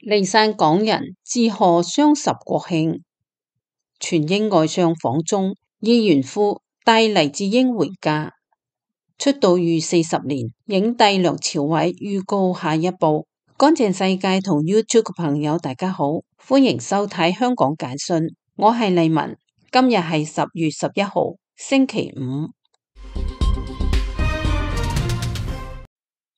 離散港人致賀雙十國慶，全英外相訪中，議員夫帶黎智英回家。出道逾40年，影帝梁朝偉預告下一部。乾淨世界同 YouTube 嘅朋友大家好，歡迎收睇香港簡訊，我係麗文。今日係10月11號，星期五。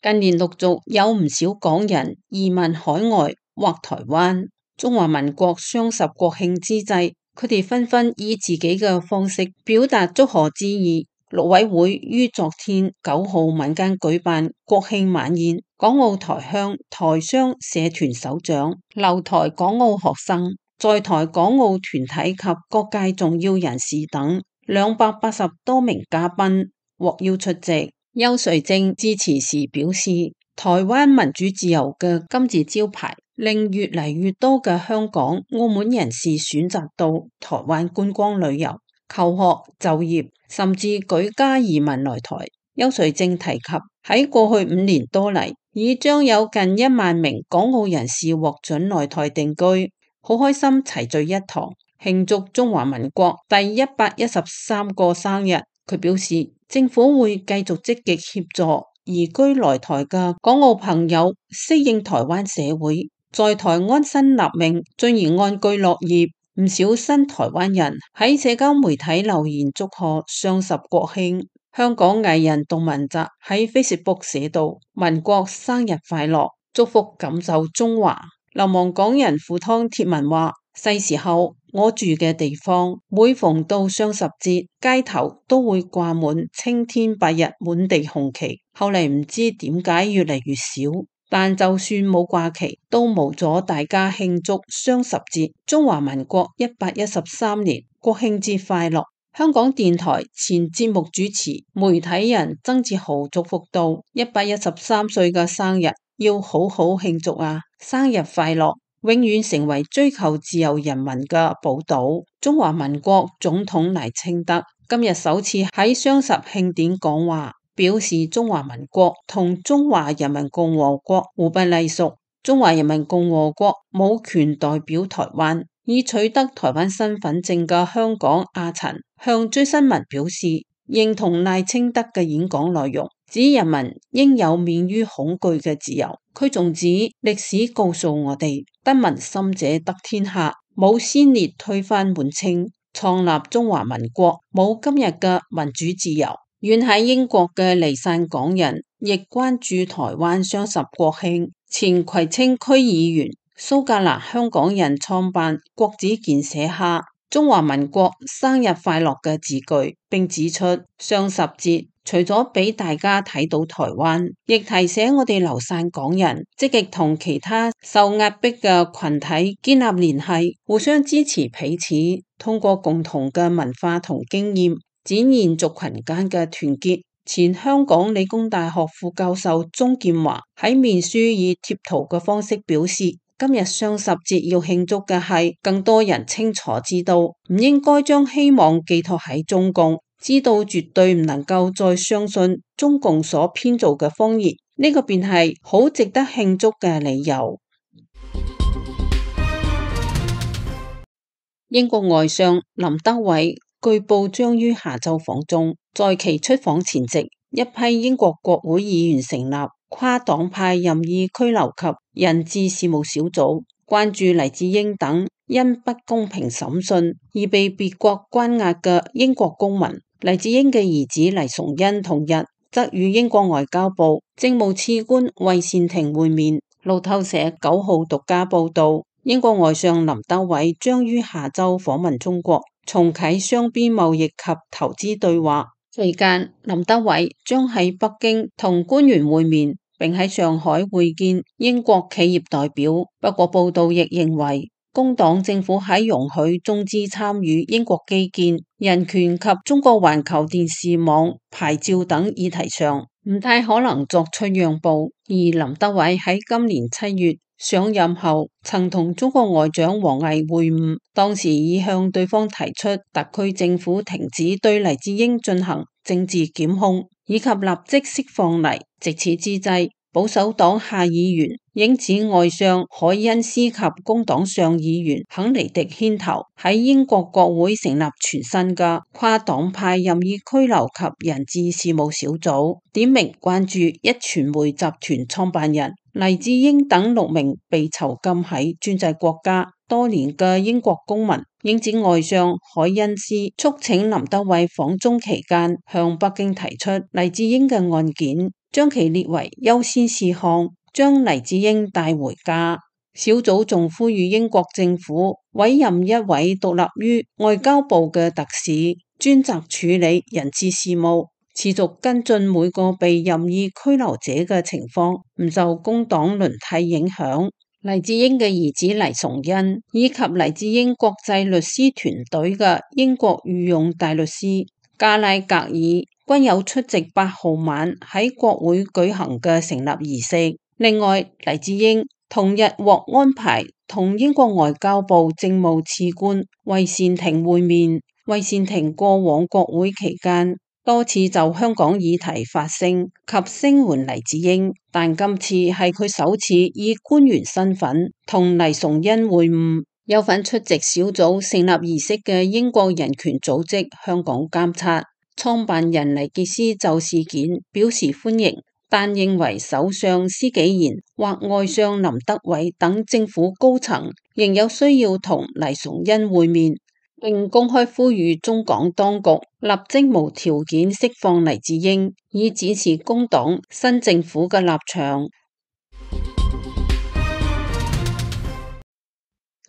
近年陸續有唔少港人移民海外或台灣。中華民國雙十國慶之際，佢哋紛紛以自己嘅方式表達祝賀之意。陸委會於昨天9號晚間舉辦國慶晚宴，港澳台鄉台商社團首長、留台港澳學生、在台港澳團體及各界重要人士等280多名嘉賓獲邀出席。邱瑞正致辭時表示，台灣民主自由嘅金字招牌，令越嚟越多嘅香港、澳門人士選擇到台灣觀光旅遊、求學、就業，甚至舉家移民來台。邱瑞正提及，喺過去5年多嚟，已將有近1萬名港澳人士獲准來台定居，好開心齊聚一堂，慶祝中華民國第113個生日。佢表示，政府會繼續積極協助移居來台嘅港澳朋友適應台灣社會，在台安身立命，進而安居樂業。唔少新台灣人喺社交媒體留言祝賀雙十國慶。香港藝人杜汶澤喺 Facebook 寫道：民國生日快樂，祝福感受中華。流亡港人赴湯貼文話：細時候我住嘅地方，每逢到雙十節，街頭都會掛滿青天白日滿地紅旗。後嚟唔知點解越嚟越少，但就算冇掛旗，都無阻大家慶祝雙十節。中華民國113年國慶節快樂！香港電台前節目主持、媒體人曾志豪祝福道：113歲嘅生日要好好慶祝啊！生日快樂！永遠成為追求自由人民嘅寶島。中華民國總統賴清德今日首次喺雙十慶典講話，表示中華民國同中華人民共和國互不隸屬，中華人民共和國冇權代表台灣。已取得台灣身份證嘅香港阿陳向追新聞表示，認同賴清德嘅演講內容，指人民應有免於恐懼嘅自由。佢仲指歷史告訴我哋，得民心者得天下，冇先烈推翻滿清，創立中華民國，冇今日嘅民主自由。遠喺英國嘅離散港人亦關注台灣雙十國慶。前葵青區議員蘇格蘭香港人創辦郭子健寫下中華民國生日快樂嘅字句，並指出雙十節除咗俾大家睇到台灣，亦提醒我哋流散港人積極同其他受壓迫嘅群體建立聯繫，互相支持彼此，通過共同嘅文化同經驗，展現族群間嘅團結。前香港理工大學副教授鍾劍華喺面書以貼圖嘅方式表示，今日雙十節要慶祝嘅係更多人清楚知道，唔應該將希望寄託喺中共，知道絕對唔能夠再相信中共所編造嘅謊言，呢個便係好值得慶祝嘅理由。英國外相林德偉據報將於下週訪中，在其出訪前夕，一批英國國會議員成立跨黨派任意拘留及人質事務小組，關注黎智英等因不公平審訊而被別國關押嘅英國公民。黎智英嘅兒子黎崇恩同日則與英國外交部政務次官韋善庭會面。路透社9號獨家報道，英國外相林德偉將於下週訪問中國，重啟雙邊貿易及投資對話。期間，林德偉將喺北京同官員會面，並喺上海會見英國企業代表。不過報道亦認為，工黨政府喺容許中資參與英國基建、人權及中國環球電視網牌照等議題上，唔太可能作出讓步。而林德偉喺今年7月上任後曾同中國外長王毅會晤，當時已向對方提出特區政府停止對黎智英進行政治檢控，以及立即釋放黎。值此之際，保守黨下議員英指外相凱恩斯及工黨上議員肯尼迪牽頭喺英國國會成立全新嘅跨黨派任意拘留及人質事務小組，點名關注一傳媒集團創辦人黎智英等6名被囚禁喺專制國家多年嘅英國公民。英指外相凱恩斯促請林德偉訪中期間向北京提出黎智英嘅案件，將其列為優先事項，將黎智英帶回家。小組仲呼籲英國政府委任一位獨立於外交部嘅特使，專責處理人質事務，持續跟進每個被任意拘留者嘅情況，唔受工黨輪替影響。黎智英嘅兒子黎崇恩以及黎智英國際律師團隊嘅英國御用大律師加拉格爾均有出席8號晚喺國會舉行嘅成立儀式。另外，黎智英同日獲安排同英國外交部政務次官韋善廷會面。韋善廷過往國會期間多次就香港議題發聲及聲援黎智英，但今次係佢首次以官員身份同黎崇恩會晤。有份出席小組成立儀式嘅英國人權組織香港監察創辦人黎傑斯就事件表示歡迎，但認為首相施紀賢或外相林德偉等政府高層仍有需要同黎崇恩會面，並公開呼籲中港當局立即無條件釋放黎智英，以展示工黨新政府嘅立場。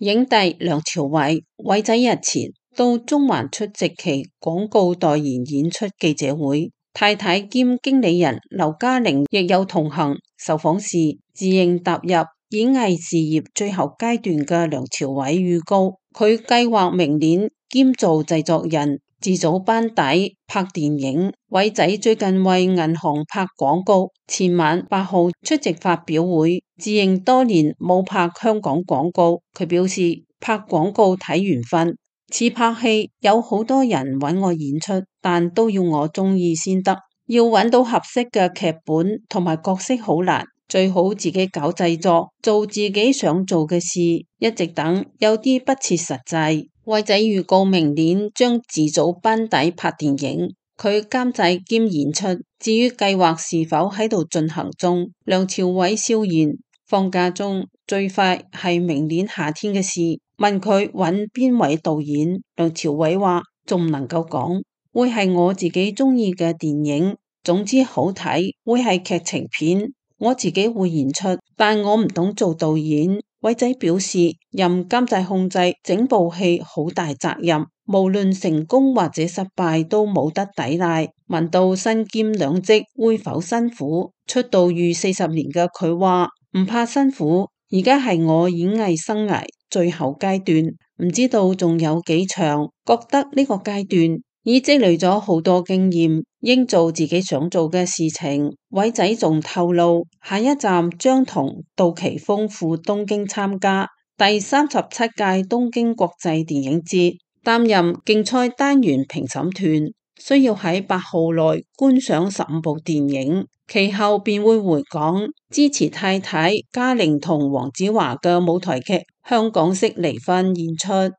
影帝梁朝偉仔日前到中環出席其廣告代言演出記者會，太太兼經理人劉嘉玲亦有同行。受訪時自認踏入演藝事業最後階段嘅梁朝偉預告，佢計劃明年兼做製作人，自組班底拍電影。偉仔最近為銀行拍廣告，前晚8號出席發表會，自認多年冇拍香港廣告。佢表示拍廣告睇緣分，似拍戲有好多人揾我演出，但都要我中意先得，要揾到合適嘅劇本同埋角色好難，最好自己搞製作，做自己想做嘅事，一直等有啲不切實際。偉仔預告明年將自組班底拍電影，佢監製兼演出。至於計劃是否喺度進行中，梁朝偉笑言放假中，最快係明年夏天嘅事。問佢揾邊位導演，梁朝偉話仲唔能夠講，會係我自己中意嘅電影，總之好睇，會係劇情片，我自己會演出，但我唔懂做導演。偉仔表示，任監製控制整部戲好大責任，無論成功或者失敗都冇得抵賴。問到身兼兩職會否辛苦，出道逾40年嘅佢話唔怕辛苦，而家係我演藝生涯最後階段，唔知道仲有幾長，覺得呢個階段已積累咗好多經驗，應做自己想做嘅事情。偉仔仲透露，下一站將同杜琪峰赴東京參加第37屆東京國際電影節，擔任競賽單元評審團，需要喺8號內觀賞15部電影，其後便會回港支持太太嘉玲同黃子華嘅舞台劇《香港式離婚》演出。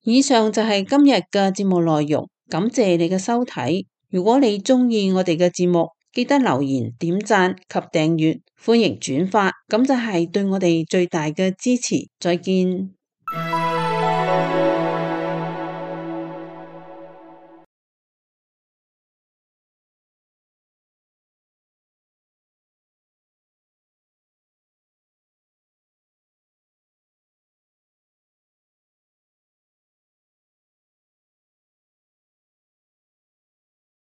以上就係今日嘅節目內容，感謝你嘅收睇。如果你中意我哋嘅節目，記得留言、點讚及訂閱，歡迎轉發，咁就係對我哋最大嘅支持。再見。